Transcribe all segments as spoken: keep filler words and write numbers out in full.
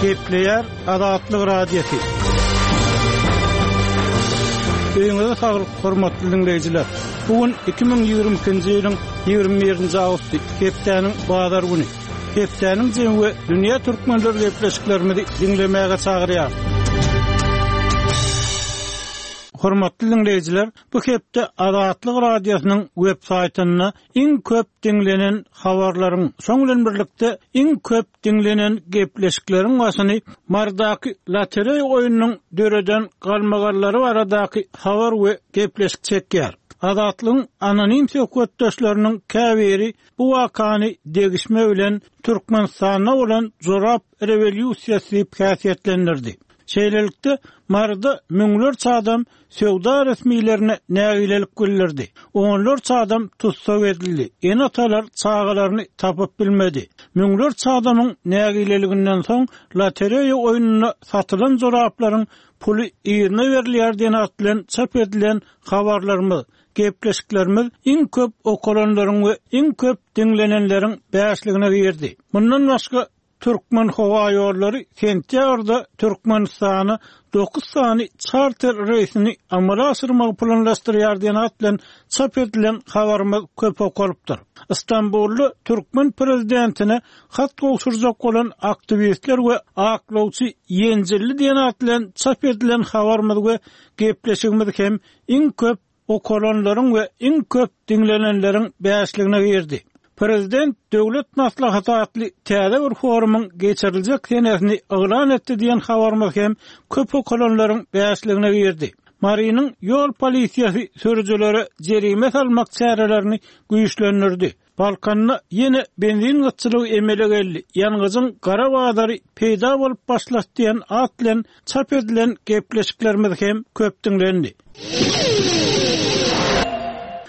Gepleýär Azatlyk Radiosy. Öýüňize saglyk, hormatly dinleýjiler. Bu gün iki müň ýigrimi ikinji ýylyň ýigrimi birinji awgusty, hepdäniň bazar güni. Hepdäniň jemi we dünýä türkmenleri gepleşiklerimizi diňlemäge çagyrýar. Hormatly dinleýjiler, bu hepde Azatlyk Radiosynyň web saýtynda iň köp diňlenen habarlaryň, şoň bilen birlikde iň köp diňlenen gepleşikleriň başyny Mardaky lotereý oýnunyň döreden galmagallary baradaky habar we gepleşik çekýär. Azatlygyň anonim söhbetdeşleriniň käbiri bu wakany degişme bilen Türkmenistanda bolan jorap rewolýusiýasy diýip häsiýetlendirdi. Şeýlelikde, Marda müňlerçe adam söwda resmilerine nägilelik bildirdi. Onlarça adam tussag edildi. Ene-atalar çagalaryny tapyp bilmedi. Müňlerçe adamyň nägileliginden soň lotereýa oýnunda satylan joraplaryň puly ýerine berilýär diýen at bilen çap edilen habarlarymyz, gepleşiklerimiz iň köp okalanlaryň we iň köp diňlenenleriň bäşligine girdi. Mundan başga Türkmen howa ýollary sentýabrda Türkmenistana dokuz sany charter reýsini amala aşyrmagy planlaşdyrýar diýen at bilen çap edilen habarymyz köp okalypdyr. İstanbulda Türkmen prezidentine hat gowşurjak bolan aktiwistler we aklawçy Ýenjilli diýen at bilen çap edilen habarymyz we gepleşigimiz hem iň köp okalanlaryň we iň köp diňlenenleriň bäşligine girdi. Prezident Döwlet Maslahaty atly täze bir forumyň geçiriljek senesini yglan etdi diýen habarymyz hem köp okalanlaryň bäşligine girdi. Marynyň ýol polisiýasy sürüjilere jerime salmak çärelerini güýçlendirdi. Balkanda ýene benzin gytçylygy emele geldi. Ýangyjyň gara bazary peýda bolup başlady diýen at bilen çap edilen gepleşiklerimiz hem köp diňlendi.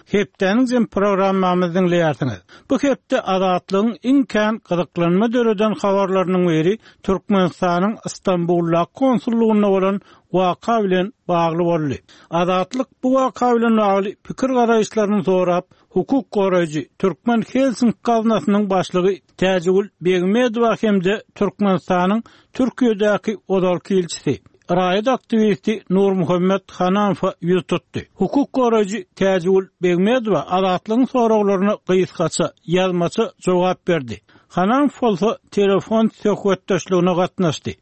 Hepdäniň jem programmamyzy diňleýärsiňiz. Bu hepde Azatlygyň iň kän gyzyklanma döreden habarlarynyň biri Türkmenistanyň İstanbulda konsullugynda bolan waka bilen bagly boldy. Azatlyk bu waka bilen bagly pikir garaýyşlaryny sorap, hukuk goraýjy Türkmen Helsinki gaznasynyň başlygy Täjigül Begmedowa hem-de Türkmenistanyň Türkiýedäki ozalky ilçisi raýat aktiwisti Nurmuhammet Hananowa ýüz tutdy. Hukuk goraýjy Täjigül Begmedowa Azatlygyň soraglaryna gysgaça, ýazmaça jogap berdi. Hananow bolsa telefon söhbetdeşligine gatnaşdy.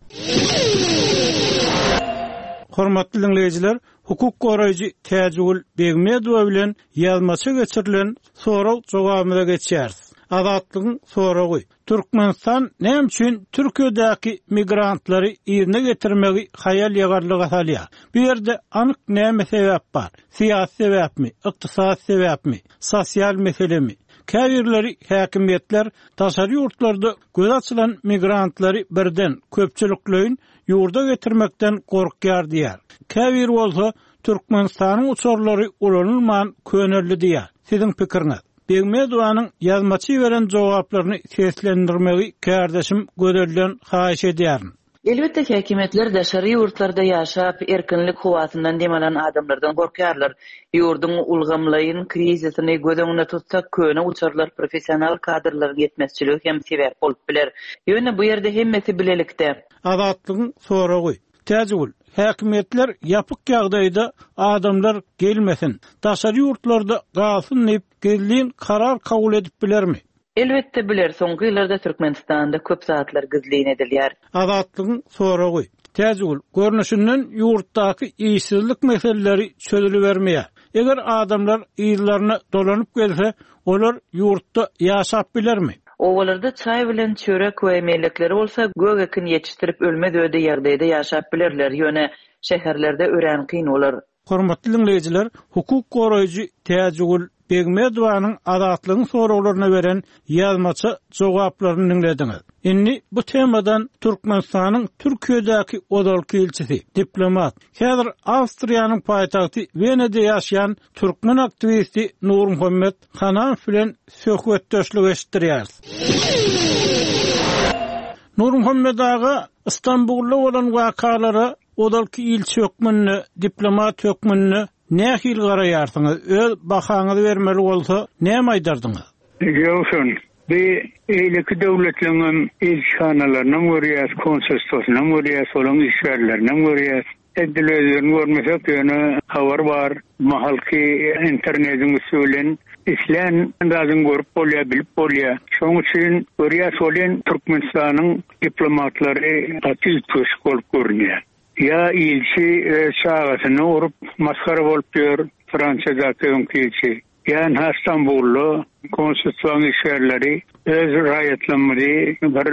Hormatly dinleýjiler, hukuk goraýjy Täjigül Begmedowa bilen ýazmaça geçirilen sorag jogabymyza geçýäris. Azatlygyň soragy: Türkmenistan näme üçin Türkiýedäki migrantlary ýerine getirmegi haýal ýagarlyga salýar? Bu ýerde anyk näme sebäp bar? Syýasy sebäpmi, ykdysady sebäpmi, sosial meselemi? Käbirleri häkimiýetler daşary ýurtlarda göz açylan migrantlary birden köpçülikleýin ýurda getirmekden gorkýar diýär. Käbir bolsa Türkmenistanyň uçarlary ulanylman köneldi diýär. Siziň pikiriňiz? Begmedowanyň ýazmaçy beren jogaplaryny seslendirmegi kärdeşim Gözelden haýyş edýärin. Elbetde häkimiýetler daşary ýurtlarda ýaşap, erkinlik howasyndan dem alan adamlardan gorkarlar. Ýurduň ulgamlaýyn krizisini göz öňünde tutsak, köne uçarlar professional kadrlaryň ýetmezçiligi hem sebäp bolup biler. Ýöne bu ýerde hemmesi bilelikde. Azatlygyň soragy: Täjigül, häkimiýetler ýapyk ýagdaýda adamlar gelmesin, daşary ýurtlarda galsyn diýip gizlin karar kabul edip bilermi? Elbetde biler, soňky ýyllarda Türkmenistanda köp zatlar gizlin edilýär. Azatlygyň soragy: Täjigül, görnüşinden ýurtdaky işsizlik meseleleri çözülibermeýär. Eger adamlar ýyllaryna dolanyp gelse, olar ýurtda ýaşap bilermi? Owalarda çay bilen çörek we mellekleri bolsa gök ekin ýetişdirip ölmez öde ýagdaýda ýaşap bilerler. Ýöne şäherlerde örän kyn bolar. Hormatly dinleýjiler, hukuk goraýjy Täjigül Begmedowanyň Azatlygyň soraglaryna beren ýazmaça jogaplaryny dinlediňiz. Indi bu temadan Türkmenistanyň Türkiýedäki ozalky ilçisi, diplomat, häzir Awstriýanyň paýtagty Wenada ýaşaýan türkmen aktiwisti Nurmuhammet Hananow bilen söhbetdeşlik eşitdirýäris. Nurmuhammet aga, İstanbulda bolan wakalara ozalky ilçi hökmünde, diplomat hökmünde nähili garaýarsyňyz? Öz bahaňyzy bermeli bolsa, näme aýdardyňyz? Ýogsun, Bir eýleki döwletleriň ilçihanalaryny görýäs, konsulstwasyny görýäs, olaryň işgärlerini görýäs. Edil özlerini görmesek ýöne habar bar. Mahalky internetiň üsti bilen islän zadyň görüp bolýar, bilip bolýar. Şonuň üçin görýäs bolýan Türkmenistanyň diplomatlary gaty üýtgeşik bolup görünýär. Ýa ilçi e, çagasyny urup maskara bolup ýör Fransiyadaky öňki ilçi. Ýa Istanbulda konsulstwaň işgärleri öz raýatlarymyzy bir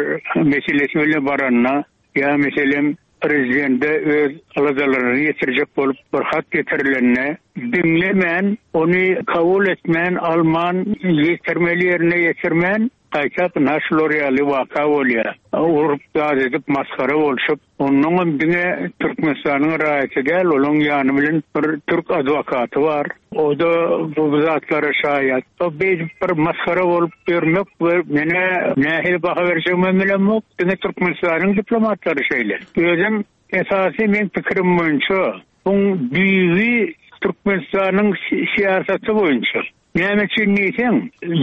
meselesi bilen baranda ýa meselem prezidente öz aladalaryny ýetirjek bolup bir hat getirilenine diňlemän, ony kabul etmän, alman, ýetirmeli ýerine ýetirmän, gaýtap naşlar ýaly waka bolýar. Urup zat edip maskara bolşup, onnoňam diňe Türkmenistanyň raýaty däl, olaň ýany bilen bir türk adwokaty bar. O da bu zatlara şaýat. O beýdip bir maskara bolup ýörmek we mene nähili baha berjegimi bilemok. Diňe Türkmenistanyň diplomatlary şeýle. Özüm esasy men pikirim boýunça buň düýbi Türkmenistanyň siýasaty boýunça. Näme üçin diýseň,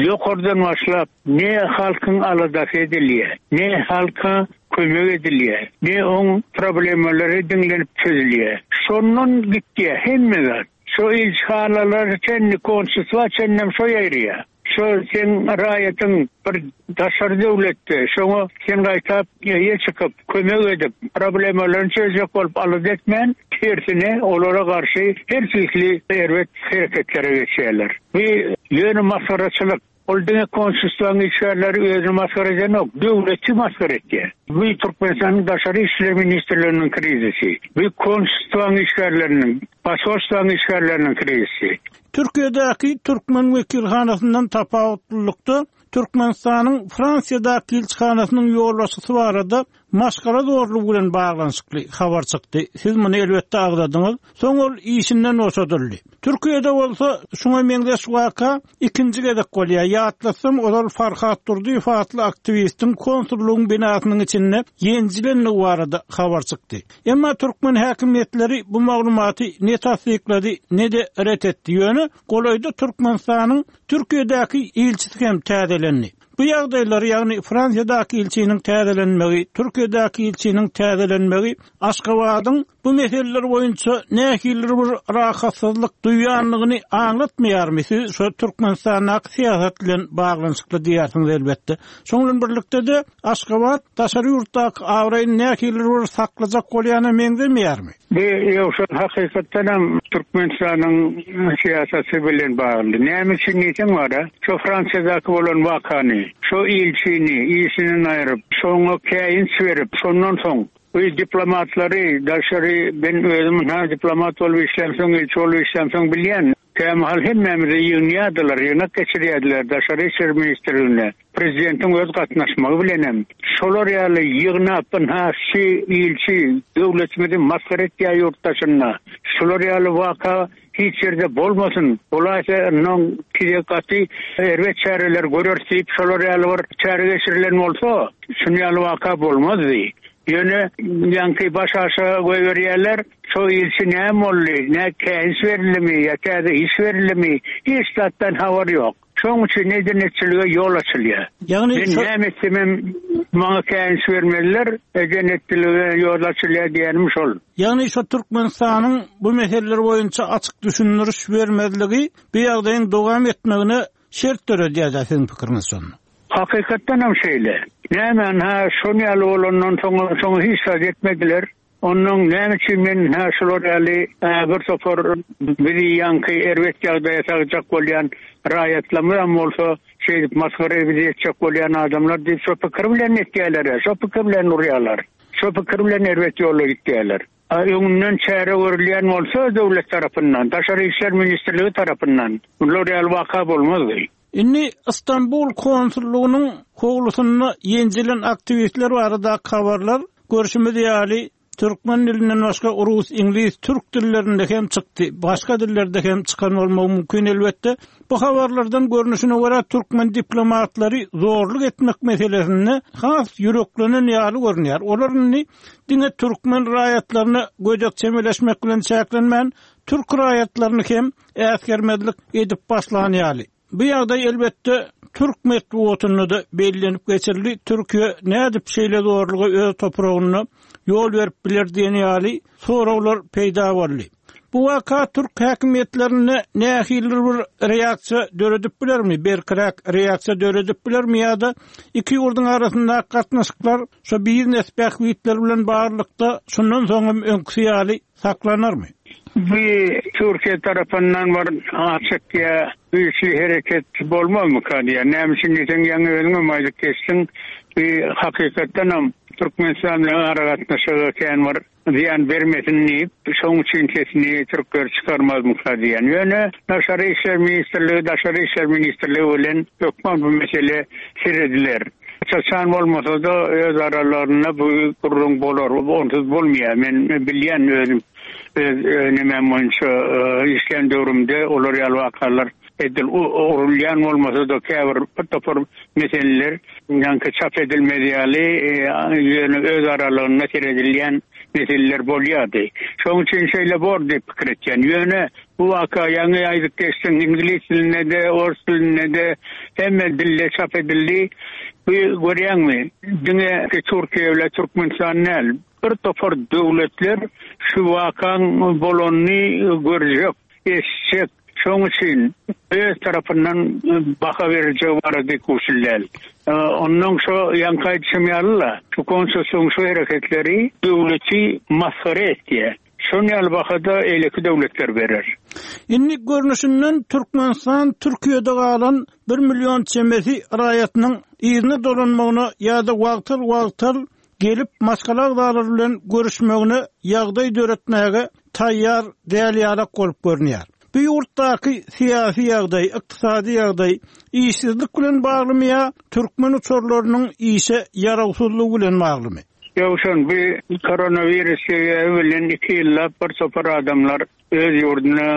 ýokardan başlap ne halkyň aladasy edilýär, ne halka kömek edilýär, ne oň problemalary diňlenip çözülýär. Şondan gitýär hemme zat. Şo ilçihanalar çenli konsulstwa çenlem şo ýerýär. Şo sen raýatyň bir daşary döwletde, şoňa sen gaýtap ýe çykyp, kömek edip, problemalaryny çözjek bolup alad etmän, tersine olara garşy her türlü erbet hareketlere geçýärler. Bu ýöne maskaraçylyk. Ol diňe konsulstwaň işgärleri özüni maskara edenok, döwleti maskara etýär. Bu Türkmenistanyň Daşary işler ministrliginiň krizisi. Bu konsulstwaň işgärleriniň, посольстваň işgärleriniň krizisi. Türkiýedäki Türkmen wekilhanasyndan tapawutlylykda Türkmenistanyň Fransiýadaky ilçihanasynyň ýolbaşçysy barada maşgala zorlugy bilen baglanyşykly habar çykdy. Siz muny elbetde agzadyňyz. Soň ol işinden boşadyldy. Türkiýede bolsa şuňa meňzeş waka ikinji gezek bolýar. Ýatlasam ozal Farhat Durdyýew atly aktiwistiň konsullygyň binasynyň içinde ýenjilenligi barada habar çykdy. Emma türkmen häkimiýetleri bu maglumaty ne tasdiklady, ne de ret etdi. Ýöne golaýda Türkmenistanyň Türkiýedäki ilçisi hem täzelendi. Bu ýagdaýlar, ýagny Fransiýadaky ilçiniň täzelenmegi, Türkiýedäki ilçiniň täzelenmegi Aşgabadyň bu meseleler boýunça nähili bir rahatsyzlyk duýanlygyny aňlatmaýarmy? Siz şu Türkmenistandaky syýasat bilen baglanyşykly diýersiňiz elbetde. Şonuň bilen birlikde de Aşgabat daşary ýurtdaky abraýyny nähili bir saklajak bolýana meňzemeýärmi? Bu ýoksa hakykatdan hem Türkmenistanyň syýasaty bilen bagly. Näme üçin diýseň bar, şu Fransiýadaky bolan wakany, şu ilçini işinden aýryp, şoňa käýinç berip, şondan soň bu diplomatlary daşary ben özüm ha diplomat bolup işlemsoň, ilçi bolup işlemsoň bilýän. Kämahal hemmämizi ýygnýardylar, ýygnak geçirýärdiler daşary işler ministrligine. Prezidentiň öz gatnaşmagy bilenem şolar ýaly ýygnap ha şu ilçi döwletimizi maskara etýär ýurtdaşyna. Şolar ýaly waka hiç ýerde bolmasyn. Bolaýsa ondan kide gaty erbet çäreler görer diýip şolar ýaly bir çäre geçirilen bolsa, şuny ýaly waka bolmazdy. Ýöne ýaňky baş aşa goýberýärler, şo ilçi näme boldy, ne käýinç berilimi ýa täze iş berilimi, hiç zatdan habar ýok. Şonuň üçin edenetçilige ýol açylýar. Ýagny Men näme etsemem maňa käýinç bermeliler, edenetçilige ýol açylýar diýenim şol. Ýagny şu Türkmenistanyň bu meseleler boýunça açyk düşündiriş bermezligi bu ýagdaýyň dowam etmegine şert döredýär siziň pikiriňiz şonda. Hakykatdan hem şeýle. Näme ha şony ýaly bolandan soň soň hiç zat etmediler. Ondan näme üçin men ha şular ýaly e, bir topar bizi ýaňky erbet ýagdaýa sagjak bolýan raýatlarymyz bolsa şeýdip maskara bizi etjek bolýan adamlar diýip şo pikir bilen etýärler, şo pikir bilen urýarlar. Şo pikir bilen erbet ýola gitýärler. Öňünden çäre görülýän bolsa döwlet tarapyndan, Daşary işler ministrligi tarapyndan bular ýaly waka bolmazdy. Inni İstanbul konsullugynyň howlusynda ýenjilen aktiwistler barada habarlar görüşimiz ýaly Türkmen dilinden başga rus, iňlis, türk dillerinde hem çykdy. Başga dillerde hem çykan bolmagy mümkin elbetde. Bu habarlardan görnüşine görä türkmen diplomatlary zorluk etmek meselesinde has ýüreklenen ýaly görünýär. Olar indi diňe türkmen raýatlaryna gödek çemeleşmek bilen çäklenmän, türk raýatlaryny hem äsgermezlik edip başlan ýaly. Bu ýagdaý elbetde Türk metbugatynda da bellenip geçirildi. Türkiye nädip şeýle zorlugy öz topragynda ýol berip biler diýen ýaly soraglar peýda boldy. Bu waka Türk häkimiýetlerinde nähili bir reaksiýa döredip bilermi? Berkiräk reaksiýa döredip bilermi ýa-da iki ýurduň arasyndaky gatnaşyklar şu biznes bähbitler bilen baglylykda şundan soň hem öňküsi ýaly saklanarmy? Bu Türkiye tarapyndan bir açyk ýa güýçli hereket bolmazmyka diýýär. Näme üçin diýseň, ýaňy özüňem aýdyp geçdiň, bu hakykatdanam Türkmenistan bilen aragatnaşygy kän bir zyýan bermesin diýip, şoň üçin sesini türkler çykarmazmyka diýen. Ýöne Daşary İşler Ministrligi, Daşary İşler Ministrligi bilen hökman bu mesele serediler. Çaçan bolmasa da öz aralarynda bu gürrüň bolar, onsuz bolmaýar. Men bilýän özüm öz nemem boýunça işleýän döwrümde olar ýaly wakalar edil urulýan bolmasa da käbir bir topar meseleler ýaňky çap edilmez ýaly, ýöne öz aralygynda seredilýän meseleler bolýardy. Şonuň üçin şeýle bor diýip pikir etýän. Ýöne bu waka ýaňy aýdyp geçdiň, ingilis dilinde de, ors dilinde de hemme dilde çap edildi. Bu görýäňmi? Diňe Türkiye bilen Türkmenistan däl, bir topar döwletler şu wakaň bolanyny görjek, eşitjek. Şonuň üçin öz tarapyndan baha berjek barada kuşullal. Ondan şo ýaňky aýdyşym ýaly-la, şu konsulsyň şu hereketleri döwleti masgara etýär. Şonuň ýaly bahada eýleki döwletler berer. Indi görnüşinden Türkmenistan Türkiye'de galan bir milyon çemesi raýatynyň yzyna dolanmagyna ýa-da wagtal-wagtal gelip maşgala agzalary bilen görüşmegine ýagdaý döretmäge taýýar däl ýalak bolup görünýär. Bu ýurtdaky syýasy ýagdaý, ykdysady ýagdaý işsizlik bilen baglymy ýa türkmen uçarlarynyň işe ýarawsyzlygy bilen baglymy? Ýowşan, bu koronavirus sebäbi bilen iki ýyllap bir topar adamlar öz ýurduna,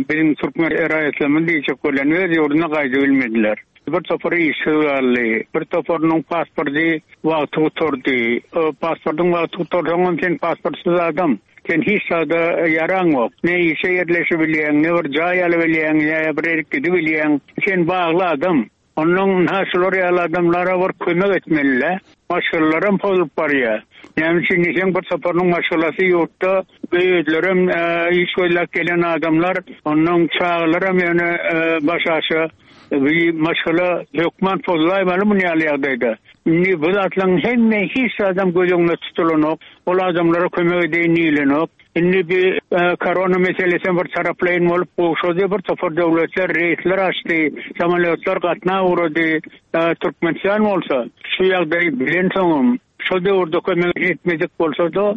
biziň türkmen raýatlarymyz diýjek bolan öz ýurduna gaýdyp bilmediler. Bir topary işsiz galdy, bir toparynyň pasporty wagty gutardy. O pasportyň wagty gutarsaň sen pasportsyz adam. Sen hiç zada ýaraň ýok. Ne işe ýerleşip bilýäň, ne bir jaý alyp bilýäň, ne bir ýere gidip bilýäň. Sen bagly adam. Ondan ha şular ýaly adamlara bir kömek etmeli. Maşgalalaram bozulup barýar. Näme üçin diýseň, bir toparynyň maşgalasy ýurtda, özlerem, iş gözläp gelen adamlar, ondan çagalaram ýöne, baş aşa bir maşgala hökman pozlaýmaly muny ýaly ýagdaýda. Indi bu zatlaryň hemme hiç adam göz öňünde tutulanok. Ol adamlara kömek edeýin diýilenok. Indi bir korona meselesi bir taraplaýyn bolup gowşady, bir topar döwletler reýsler açdy, samolýotlar gatna ugrady. Türkmenistan bolsa şu ýagdaýy bilen soňum şo döwürde kömek etmedik bolsa da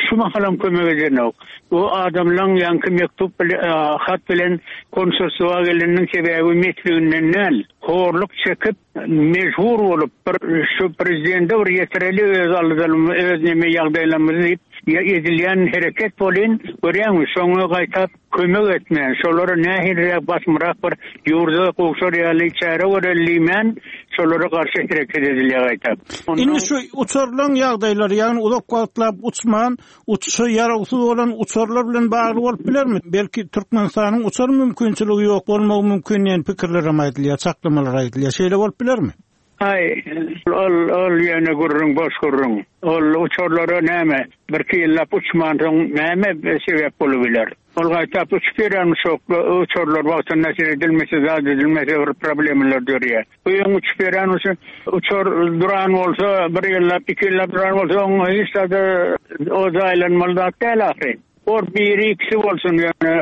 şu mahalam kömek edenok. Bu adamlaryň ýaňky mektup bilen, hat bilen konsulstwa geleniniň sebäbi mesliginden däl. Horluk çekip mejbur bolup bir şu prezidente bir ýetireli öz aldylarymyzy, öz neme ýagdaýlarymyzy diýip ýa edilýän hereket bolyn, görýäňmi, şoňa gaýtap kömek etmän, şolara nähiliräk basmyrak bir ýurda gowşar ýaly çäre göreli diýmän, şolara garşy hereket edilýär gaýtap. Indi şu uçarlaryň ýagdaýlary, ýagny uzak wagtlap uçman, uçuşa ýarawsyz bolan uçarlar bilen bagly bolup bilermi? Belki Türkmenistanyň uçar mümkinçiligi ýok bolmagy mümkin diýen pikirler hem aýdylýar, çaklamalar aýdylýar. Şeýle bolup bilermi? Aý, ol, ol ýöne gürrüň, boş gürrüň. Ol uçarlara näme, bir iki ýyllap uçman soň näme sebäp bolup biler? Ol gaýtap uçup ýören uçarlar wagtynda seredilmese, zat edilmese bir problemler dörýär. Bu ýöň uçup ýören uçar duran bolsa, bir ýyllap, iki ýyllap duran bolsa, oň hiç zada o jaýlanmaly zat däl ahyry. Or biri ikisi bolsun ýöne,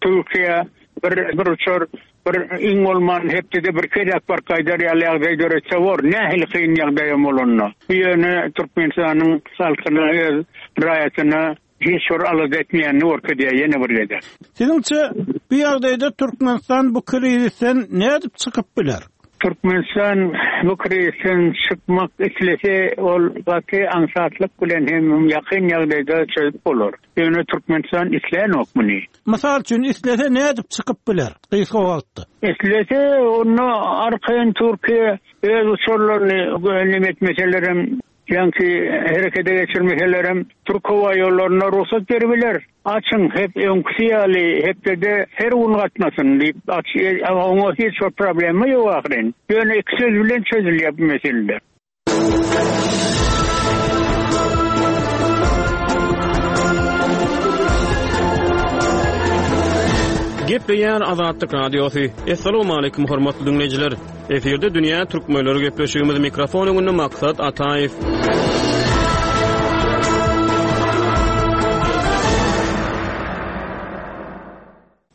Türkiye bir, bir uçar bir iň bolman hepdede bir gezek bir gaýdar ýaly ýagdaý döretse bor. Nähili kyn ýagdaýam bolanda. Bu ýöne Türkmenistanyň halkyna, öz raýatyna hiç bir alada etmeýänini görkezýär ýene bir gezek. Siziňçe bu ýagdaýda Türkmenistan bu krizisden nädip çykyp biler? Türkmenistan bu krizisden çykmak islese ol gaty aňsatlyk bilen hem ýakyn ýagdaýda çözüp bolar. Ýöne Türkmenistan islänok muny. Mysal üçin islese nädip çykyp biler gysga wagtda? Islese onda arkaýyn Türkiye öz uçarlaryny neme etmeselerem Ýaňky herekete geçirmeselerem Türk howa ýollaryna rugsat beribiler. Açyň hep öňküsi ýaly hepdede her gün gatnasyn diýip, aç, oňa hiç bir problema ýok ahyryn. Ýöne iki söz bilen çözülýär bu meseleler. Gepleýär Azatlyk Radiosy. Essalamu aleýkum hormatly diňleýjiler. Efirde Dünýä Türkmenleri gepleşigimiz mikrofon öňünde Maksat Ataýew.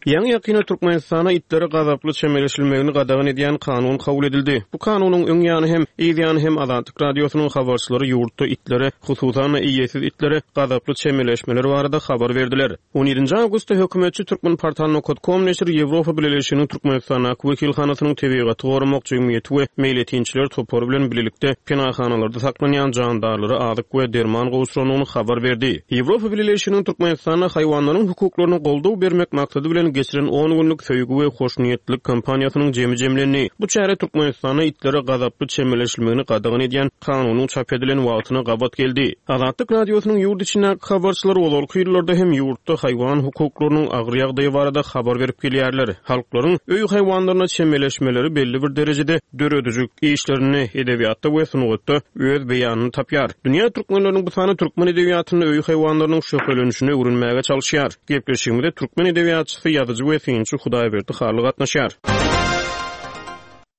Ýaňy ýakynda Türkmenistana itlere gazaply çemeleşilmegini gadagan edýän kanun kabul edildi. Bu kanunyň öň ýany hem, yz ýany hem Azatlyk Radiosynyň habarçylary ýurtda itlere, hususan-da eýesiz itlere gazaply çemeleşmeler barada habar berdiler. On ýedinji awgustda hökümetçi Türkmenportal nokta com neşiri Ýewropa Bileleşiginiň Türkmenistandaky wekilhanasynyň tebigaty goramak jemgyýeti we meýletinçiler topary bilen birlikde penahanalarda saklanýan jandarlara azyk we derman gowşurandygyny habar berdi. Ýewropa Bileleşiginiň Türkmenistanda haýwanlaryň hukuklaryna goldaw bermek maksady bilen geçiren on günlük söýgi we hoşniýetlilik kampaniýasynyň jemi jemlendi. Bu çäre Türkmenistanda itlere gazaply çemeleşilmegini gadagan edýän kanunyň çap edilen wagtyna gabat geldi. Azatlyk Radiosynyň ýurt içindäki habarçylary ozalky ýyllarda hem ýurtda haýwan hukuklarynyň agyr ýagdaýy barada habar berip gelýärler. Halklaryň öý haýwanlaryna çemeleşmeleri belli bir derejede döredijilik işlerinde, edebiýatda we sungatda öz beýanyny tapýar. Dünýä türkmenleriniň bu sany türkmen edebiýatynda öý haýwanlarynyň şöhlelenişini öwrenmäge çalışýar. Gepleşigimize türkmen edebiýatçysy, ýazyjy we synçy Hudaýberdi Hally gatnaşýar.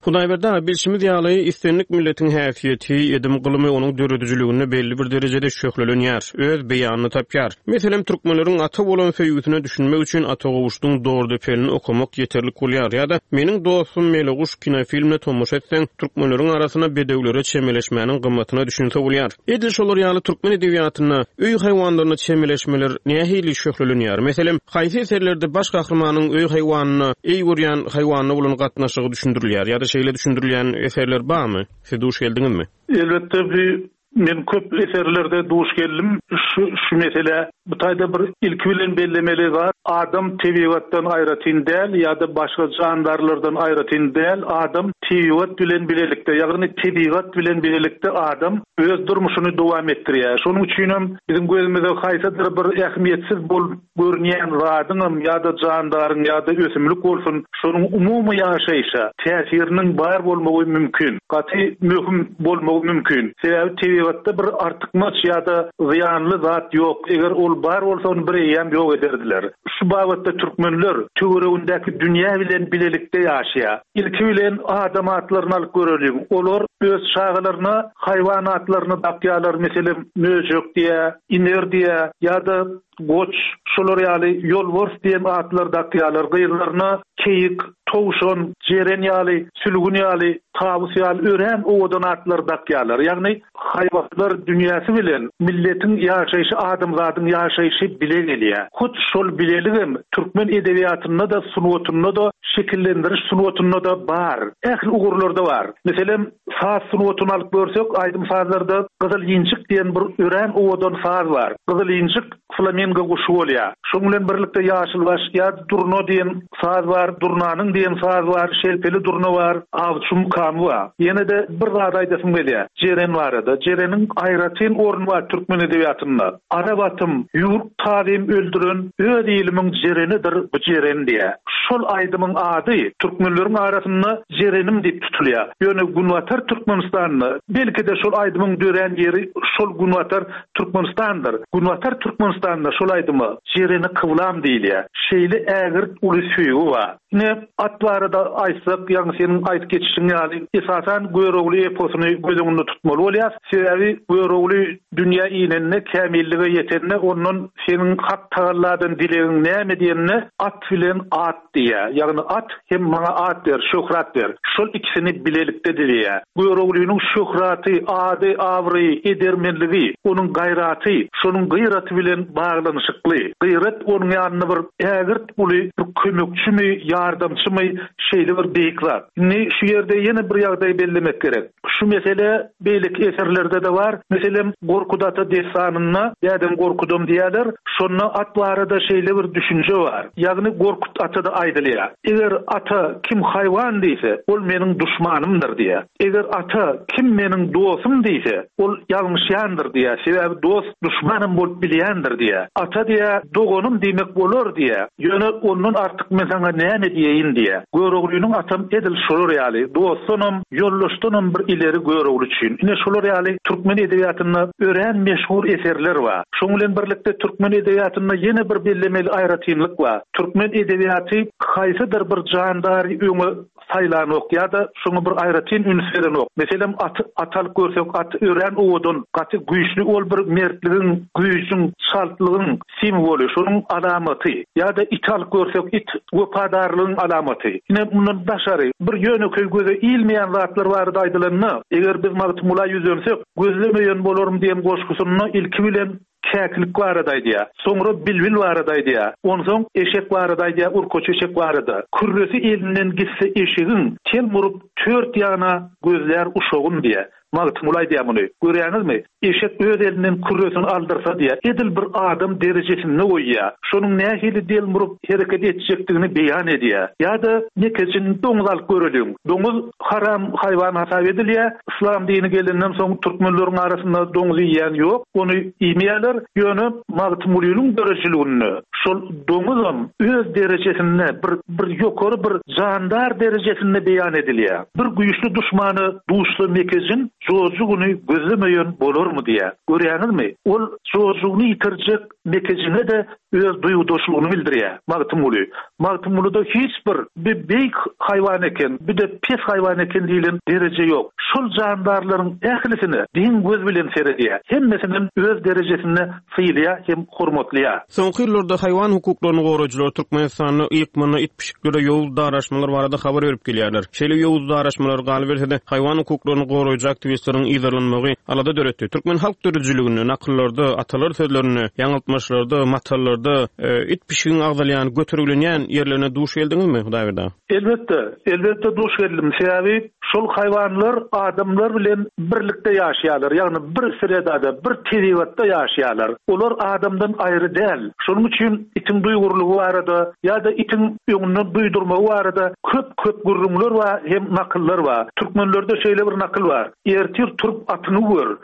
Hudaýberdi aga, bilşimiz ýaly, islendik milletiň häsiýeti, edim gylymy onuň döredijiliginde belli bir derejede şöhlelenýär, öz beýanyny tapýar. Meselem, türkmenleriň ata bolan söýgüsine düşünmek üçin Ata Gowuşdyň Dordepelini okamak ýeterlik bolýar ýa-da Meniň dostum Meleguş kinofilmine tomaşa etseň, türkmenleriň arasynda bedewlere çemeleşmäniň gymmatyna düşünse bolýar. Edil şolar ýaly türkmen edebiýatynda öý haýwanlaryna çemeleşmeler nähili şöhlelenýär? Meselem, haýsy eserlerde baş gahrymanyň öý haýwanyna, eý görýän haýwanyna bolan gatnaşygy düşündirilýär ýa-da şeýle düşündirilýän eserler barmy? Siz duş geldiňizmi? Elbetde bir men köp eserlerde duş geldim. Şu, şu mesele bu taýda bir ilki bilen bellemeli bar. Adam tebigatdan aýratyn däl ýa-da başga jandarlardan aýratyn däl. Adam tebigat bilen bilelikde, ýagny tebigat bilen bilelikde adam öz durmuşyny dowam etdirýär. Şonuň üçin hem biziň gözümize haýsydyr bir ähmiýetsiz bolup görünýän zadyň ýa-da jandaryň ýa-da ösümlik bolsun, şonuň umumy ýaşaýşa täsiriniň bar bolmagy mümkin. Gaty möhüm bolmagy mümkin. Sebäbi tebigatda bir artykmaç ýa-da zyýanly zat ýok. Eger ol bar bolsa ony bir eýýäm ýok ederdiler. Şu babatda türkmenler töweregindäki dünýä bilen bilelikde ýaşaýar. Ilki bilen adam atlaryny alyp göreliň. Olar öz çagalaryna haýwan atlaryny dakýarlar, meselem, möjek diýä, iner diýä ýa-da goç, şolar ýaly ýolbars diýen atlar dakýarlar. Gyzlaryna keýik, towşan, jeren ýaly, sülgün ýaly, tawus ýaly örän owadan atlar dakýarlar. Ýagny haýwanlar dünýäsi bilen milletiň ýaşaýşy, adamzadyň ýaşaýşy bile gelýär. Hut şol bileligem türkmen edebiýatynda da, sungatynda da, şekillendiriş sungatynda da bar. Ähli ugurlarda bar. Meselem, saz sungatyny alyp görsek, aýdym sazlarda Gyzyl injik diýen bir örän owadan saz bar. Gyzyl injik flamingo guşy bolýar. Şonuň bilen birlikde ýaşylbaş ýa durna diýen saz bar, durnanyň diýen saz bar, şelpeli durna bar, awçy mukamy bar. Ýene-de bir zat aýdasym gelýär. Jeren barada. Jereniň aýratyn orny bar türkmen edebiýatynda. Arap atym, ýurt tazym öldüren öz ilimiň jerenidir bu jeren diýär. Şol aýdymyň ady türkmenleriň arasynda jerenim diýip tutulýar. Ýöne Günbatar Türkmenistanda belki de şol aýdymyň dörän ýeri şol Günbatar Türkmenistandyr. Günbatar Türkmenistanda şol aýdyma jereni kyblam diýilýär. Şeýle ägirt uly söýgi bar. Ine at barada aýtsak, ýagny seniň aýdyp geçişiň ýaly, esasan Görogly eposyny göz öňünde tutmaly bolýar. Sebäbi Görogly dünýä inende, kämillige ýetende, ondan seniň hak tagalladan dilegiň näme diýende, at bilen at diýýär. Ýagny at hem maňa at ber, şöhrat ber. Şol ikisini bilelikde dileýär. Göroglynyň şöhraty, ady, abraýy, edermenligi edermenligi, onuň gaýraty, şonuň gyraty bilen baglanyşykly. Gyrat onuň ýanynda bir ägirt uly bir kömekçimi, ýardamçymy, şeýle bir beýik zat. Indi şu ýerde ýene bir ýagdaý bellemek gerek. Şu mesele beýleki eserlerde-de bar. Meselem, Gorkut ata dessanynda Dädem Gorkudam diýerler, şonda at barada şeýle bir düşünje bar. Ýagny Gorkut atada aýdylýar. Eger ata kim haýwan diýse, ol meniň duşmanymdyr diýär. Eger ata kim meniň dostum diýse, ol ýalňyşýandyr diýär. Sebäbi dost duşmanym bolup bilýändir diýär. Ata diýär, doganym diýmek bolar diýär. Ýöne ondan artyk men saňa näme diýeýin diýär. Göroglynyň atam edil şolar ýaly, dostdanam, ýoldaşdanam bir ileri Görogly üçin. Ine şolar ýaly türkmen edebiýatynda örän meşhur eserler bar. Şoň bilen birlikde türkmen edebiýatynda ýene bir bellemeli aýratynlyk bar. Türkmen edebiýaty haýsydyr bir jandary öňe saýlanok ýa-da şoňa bir aýratyn üns berenok. Meselem, at, at alyp görsek, at örän owadan, gaty güýçli, ol bir mertligiň, güýjüň, çaltlygyň simwoly, şonuň alamaty. Ýa-da it alyp görsek, it wepadarlygyň alamaty. Ine mundan daşary bir ýönekeý göze ilmeýän zatlar barada aýdylanda, eger biz Magtymgula ýüzlensek, gözlemeýän bolarym diýen goşgusynda ilki bilen käkilik barada aýdýar. Soňra bilbil barada aýdýar. Onsoň eşek barada aýdýar, urkaç eşek barada. Kürresi elinden gitse eşegiň, tel murup tört ýana gözlär uşagyn diýär. Magtymguly aýdýar muny. Görýäňizmi? Eşek öz elinden kürresini aldyrsa diýär. Edil bir adam derejesinde goýýar. Şonuň nähili del murup hereket etjekdigini beýan edýär. Ýa-da nekejin doňuz alyp göreliň. Doňuz haram haýwan hasap edilýär. Islam dini gelenden soň türkmenleriň arasynda doňuz iýen ýok. Ony iýmeýärler. Ýöne Magtymgulynyň döredijiliginde şol doňuzam öz derejesinde bir bir ýokary bir jandar derejesinde beýan edilýär. Bir güýçli duşmany duşsa mekejin jojugyny gözlemeýän bolarmy diýär. Görýäňizmi? Ol jojugyny ýitirjek mekejine-de öz duýgudaşlygyny bildirýär Magtymguly. Magtymgulyda hiç bir bir beýik haýwan eken, bir de pes haýwan eken diýlen dereje ýok. Şol jandarlaryň ählisine deň göz bilen seredýär. Hemmesiniň öz derejesinde sylaýar hem hormatlaýar. Soňky ýyllarda haýwan hukuklaryny goraýjylar Türkmenistanda ýykmana it pişiklere ýowuz daraşmalar barada habar berip gelýärler. Şeýle ýowuz daraşmalar galyberse-de haýwan hukuklaryny goraýjy aktiwistleriň yzarlanmagy alada döretdi. Türkmen halk döredijiliginde, nakyllarda, atalar sözlerinde, ýaňyltmaçlarda, matallarda, e, it pişigiň agzalýan, göterilenýän ýerlerine duş geldiňizmi, Hudaýberdi? Elbetde, elbetde duş geldim. Sebäbi şol haýwanlar adamlar bilen birlikde ýaşaýarlar. Ýagny bir sredada, bir tebigatda ýaşaýarlar. Olar adamdan aýry däl. Şonuň üçin itiň duýgurlygy barada ýa-da itiň öňünden duýdurmagy barada köp-köp gürrüňler bar, hem nakyllar bar. Türkmenlerde şeýle bir nakyl bar. Ertir turup atyňy gör.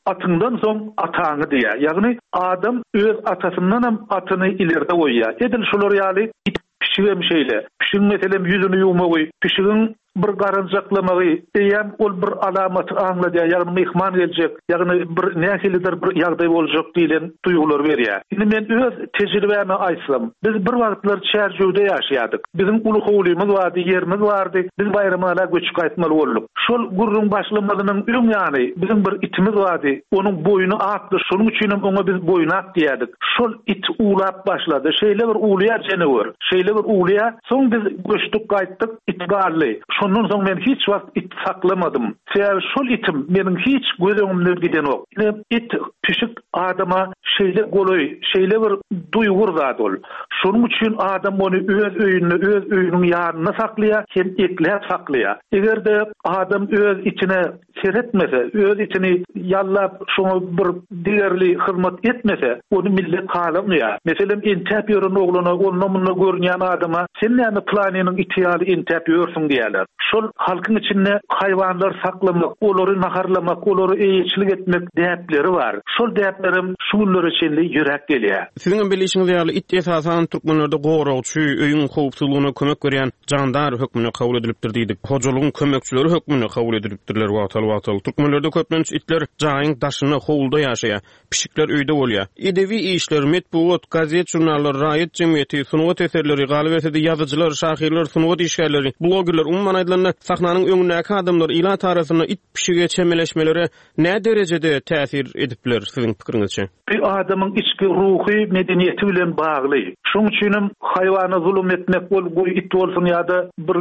Atyňdan soň ataňy diýär. Ýagny adam öz atasyndan hem atyny ileride goýýar. Edil şolar ýaly it pişigem şeýle. Pişigiň meselem ýüzüni ýuwmagy, pişigiň bir garanjaklamagy, eýem ol bir alamaty aňladýar, ýagny myhman geljek, ýagny bir nähilidir bir ýagdaý boljak diýlen duýgular berýär. Indi men öz tejribämi aýtsam, biz bir wagtlar Çärjewde ýaşaýardyk. Biziň uly howlymyz bardy, ýerimiz bardy. Biz Baýramala göçüp gaýtmaly bolduk. Şol gürrüň başlamazynyň öň ýany biziň bir itimiz bardy. Onuň boýny akdy, şonuň üçin hem oňa biz boýnak diýerdik. Şol it uwlap başlady. Şeýle bir uwlaýar jenewer, şeýle bir uwlaýar. Soň biz göçdük gaýtdyk, it galdy. Şondan soň men hiç wagt it saklamadym. Sebäbi şol itim meniň hiç göz öňümden gidenok. Ine it pişik adama şeýle golaý, şeýle bir duýgur zat ol. Şonuň üçin adam ony öz öýünde, öz öýüniň ýanynda saklaýar, hem ekläp saklaýar. Eger-de adam öz itine seretmese, öz itini ýallap şoňa bir digerli hyzmat etmese, ony millet halamaýar. Meselem, entäp ýören oglana, onda munda görünýän adama sen näme planynyň iti ýaly entäp ýörsüň diýerler. Şol halkyň içinde haýwanlar saklamak, olary naharlamak, olary eýeçilik etmek däpleri bar. Şol däplerim şu günlere çenli ýürek gelýär. Siziň hem bilişiňiz ýaly it esasan türkmenlerde goragçy, öýüň howpsuzlygyna kömek berýän jandar hökmünde kabul edilipdir diýdik. Hojalygyň kömekçileri hökmünde kabul edilipdirler wagtal-wagtal. Türkmenlerde köplenç itler jaýyň daşynda howulda ýaşaýar. Pişikler öýde bolýar. Edebi işler, metbugat, gazet, žurnallar, raýat jemgyýeti, sungat eserleri, galyberse-de ýazyjylar, şahyrlar, sungat işgärleri, blogerler umuman aýdylanda, sahnanyň öňündäki adamlar ilat arasynda it pişige çemeleşmelere nä derejede täsir edip biler siziň pikiriňizçe? Bir adamyň içki ruhy medeniýeti bilen bagly. Şonuň üçin hem haýwana zulum etmek ol goý it bolsun ýa-da bir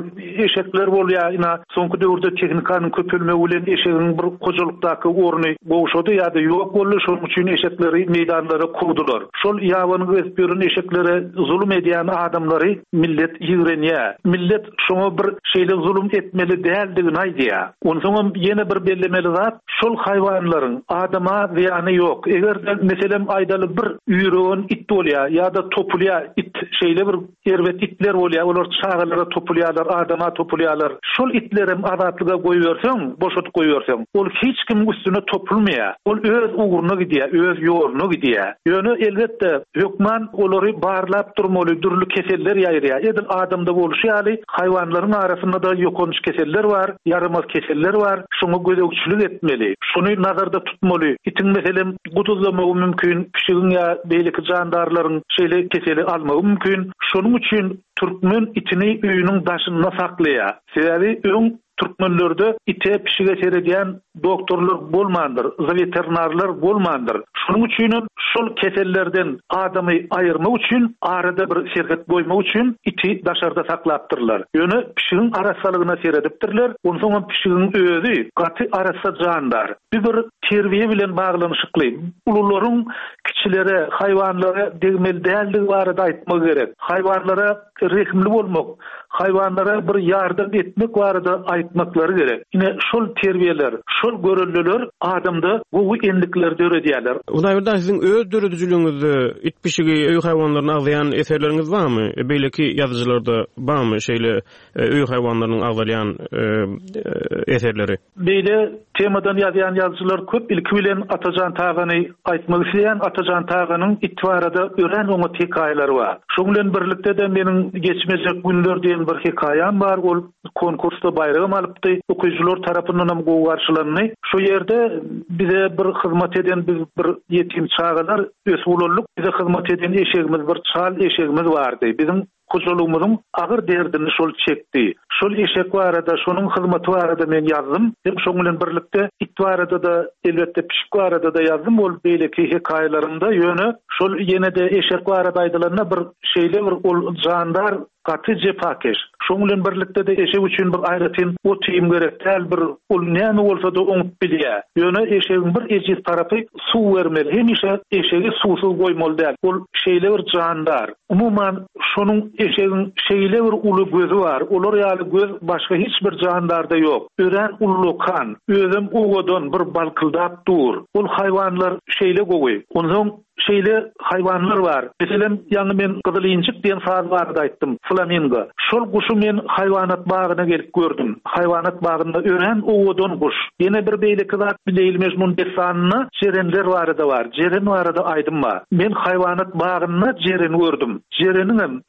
eşekler bolýar, ina soňky döwürde tehnikanyň köpelmegi bilen eşegiň bir hojalykdaky orny gowşady ýa-da ýok boldy, şonuň üçin eşekleri meýdanlara kowdular. Şol ýabany gezip ýören eşeklere zulum edýän adamlary millet ýigrenýär. Millet şoňa bir şeýle zulum etmeli däldigini aýdýar. Onsoňam ýene bir bellemeli zat, şol haýwanlaryň adama zyýany ýok. Eger-de meselem aýdaly bir üýregen it bolýar ýa-da topulýar it, şeýle bir erbet itler bolýar, olar çagalara topulýarlar, adama topulýarlar. Şol itlerem azatlyga goýberseň, boşadyp goýberseň, ol hiç kimiň üstüne topulmaýar. Ol öz ugruna gidýär, öz ýoluna gidýär. Ýöne elbetde hökman olary barlap durmaly, dürli keseller ýaýraýar. Edil adamda bolşy ýaly haýwanlaryň arasynda da ýokanç keseller bar, ýaramaz keseller bar. Şoňa gözegçilik etmeli. Şuny nazarda tutmaly. Itiň meselem guduzlamagy mümkin, pişigiň ýa beýleki jandarlaryň şeýle keseli almagy mümkin. Şonuň üçin türkmen itini öýüniň daşynda saklaýar. Sebäbi öň türkmenlerde ite pişige seredýän doktorlar bolmandyr, veterinarlar bolmandyr. Şonuň üçin hem şol kesellerden adamy aýyrmak üçin arada bir serhet goýmak üçin iti daşarda saklapdyrlar. Ýöne pişigiň arassalygyna seredipdirler. Onsoň hem pişigiň özi gaty arassa jandar. Bir bir terbiýe bilen baglanyşykly. Ulularyň kiçilere, haýwanlara degmeli däldigi barada aýtmak gerek. Haýwanlara rehimli bolmak, haýwanlara bir ýardam etmek barada aýtmaklary gerek. Ine şol terbiýeler, şol görelliler adamda gowy endikler döredýärler. Hudaýberdi siziň öz döredijiligiňizde it pişigi öý haýwanlaryny agzaýan eserleriňiz barmy? Beýleki ýazyjylarda barmy şeýle öý haýwanlarynyň agzalýan eserleri? Beýle temadan ýazýan ýazyjylar köp. Ilki bilen Atajan Tagany aýtmak isleýän. Atajan Taganyň it barada örän oňat hekaýalary bar. Şoň bilen birlikde-de meniň geçmejek günler diýen bir hekaýam bar. Ol konkursda baýragam alypdy. Okyjylar tarapyndan hem gowy garşylandy. Şu ýerde bize bir hyzmat eden biz bir ýetim çagalar ösüp ulaldyk. Bize hyzmat eden eşegimiz bir çal eşegimiz bardy. Biziň hojalygymyzyň agyr derdini şol çekdi. Şol eşek barada, şonuň hyzmaty barada men ýazdym. Hem şoň bilen birlikde it barada da elbetde pişik barada da ýazdym. Ol beýleki hekaýalarymda ýöne şol ýene-de eşek barada aýdylanda bir şeýle bir ol jandar gaty jepakeş. Şoň bilen birlikde de eşek üçin bir aýratyn ot-iým gerek däl, bir ol näme bolsa da oňup bilýär. Ýöne eşegiň bir ejiz tarapy suw bermeli. Hemişe eşegi suwsuz goýmaly däl. Ol şeýle bir jandar. Umuman şonuň eşegiň şeýle bir uly gözi bar. Olar ýaly göz başga hiç bir jandarda ýok. Örän ullukan, özem owadan bir balkyldap dur. Ol haýwanlar şeýle gowy. Onsoň şeýle haýwanlar bar. Meselem, ýaňy men gyzyl injik diýen saz barada aýtdym, flamingo. Şol guşy men haýwanat bagyna gelip gördüm. Haýwanat bagynda örän owadan guş. Ýene bir beýleki zat Leýli Mejnun dessanynda jerenler barada bar. Jeren barada aýdym bar. Men haýwanat bagynda jeren gördüm. Jereniň hem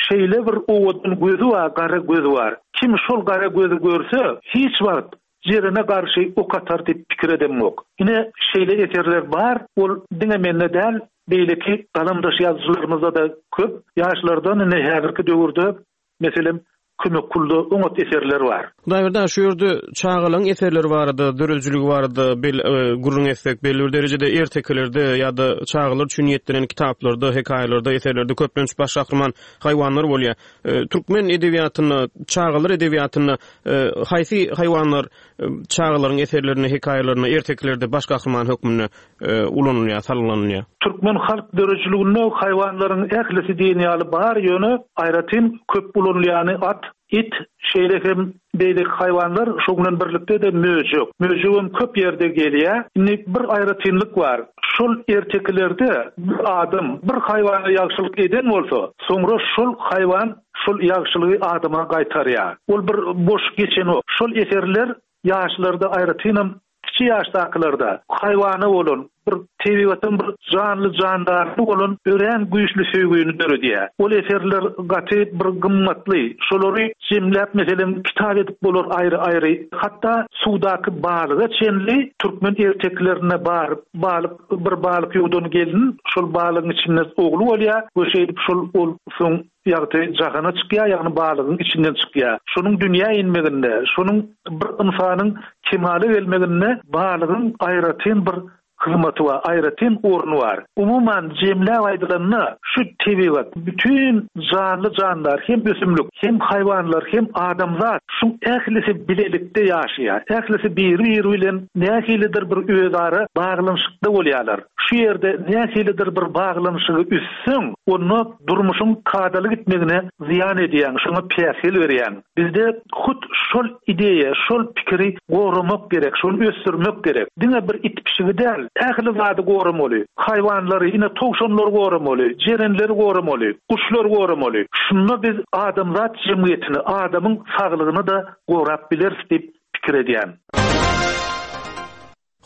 şeýle bir owadan gözi bar, gara gözi bar. Kim şol gara gözi görse, hiç wagt jerene garşy ok atar diýip pikir edemok. Ine şeýle eserler bar. Ol diňe mende däl, beýleki galamdaş ýazyjylarymyzda da köp. Ýaşlardan ine häzirki döwürde meselem Kömek Kulda oňat eserler bar. Hudaýberdi, şu ýerde çagalaryň eserleri barada, döredijiligi barada bel, e, gürrüň etsek, belli bir derejede ertekilerde ýa-da çagalar üçin niýetlenen kitaplarda, hekaýalarda, eserlerde köplenç baş gahryman haýwanlar bolýar. E, türkmen edebiýatynda, çagalar edebiýatynda, e, haýsy haýwanlar, e, çagalaryň eserlerinde, hekaýalarynda, ertekilerde baş gahryman hökmünde, e, ulanylýar, salgylanylýar? Türkmen halk döredijiliginde haýwanlaryň ählisi diýen ýaly bar, ýöne aýratyn köp ulanylýany at, it, şeýle hem beýleki haýwanlar, şoň bilen birlikde de möjek. Möjek hem köp ýerde gelýär. Indi bir aýratynlyk bar. Şol ertekilerde bir adam bir haýwana ýagşylyk eden bolsa, soňra şol haýwan şol ýagşylygy adama gaýtarýar. Ol bir boş geçenok. Şol eserler ýaşlarda aýratynam kiçi ýaşdakylarda haýwana bolan bir tebigatyň bir janly jandary bolan örän güýçli söýgüni döredýär. Ol eserler gaty bir gymmatly. Şolary jemläp meselem kitap edip bolar aýry-aýry. Hatda suwdaky balyga çenli türkmen erteklerine bar, balyk bir balyk ýuwdan gelin, şol balygyň içinde ogly bolýar we şeýdip şol ol soň ýagty jahana çykýar, ýagny balygyň içinden çykýar. Şonuň dünýä inmeginde, şonuň bir ynsanyň kemala gelmeginde balygyň aýratyn bir hyzmaty bar, aýratyn orny bar. Umuman, jemläp aýdylanda, şu tebigat, bütin janly-jandar, hem ösümlik, hem haýwanlar, hem adamzat, şuň ählisi bilelikde ýaşaýar. Ählisi biri-biri bilen nähilidir bir özara baglanyşykda bolýarlar. Şu ýerde nähilidir bir baglanyşygy üzseň, onda durmuşyň kadaly gitmegine zyýan edýäň, şoňa päsgel berýäň. Bizde hut şol ideýa, şol pikiri goramak gerek, şony ösdürmek gerek. Diňe bir it-pişigi däl, ähli zady goramaly. Haýwanlary, ine, towşanlary goramaly, jerenleri goramaly, guşlary goramaly. Şunda biz adamzat jemgyýetini, adamyň saglygyny-da gorap bileris diýip pikir edýän.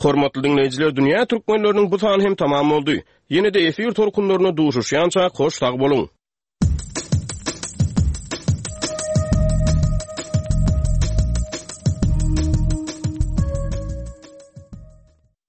Hormatly diňleýjiler, Dünýä türkmenleriniň bu sany hem tamam boldy. Ýene-de efir tolkunlarynda duşuşýança hoş sag boluň!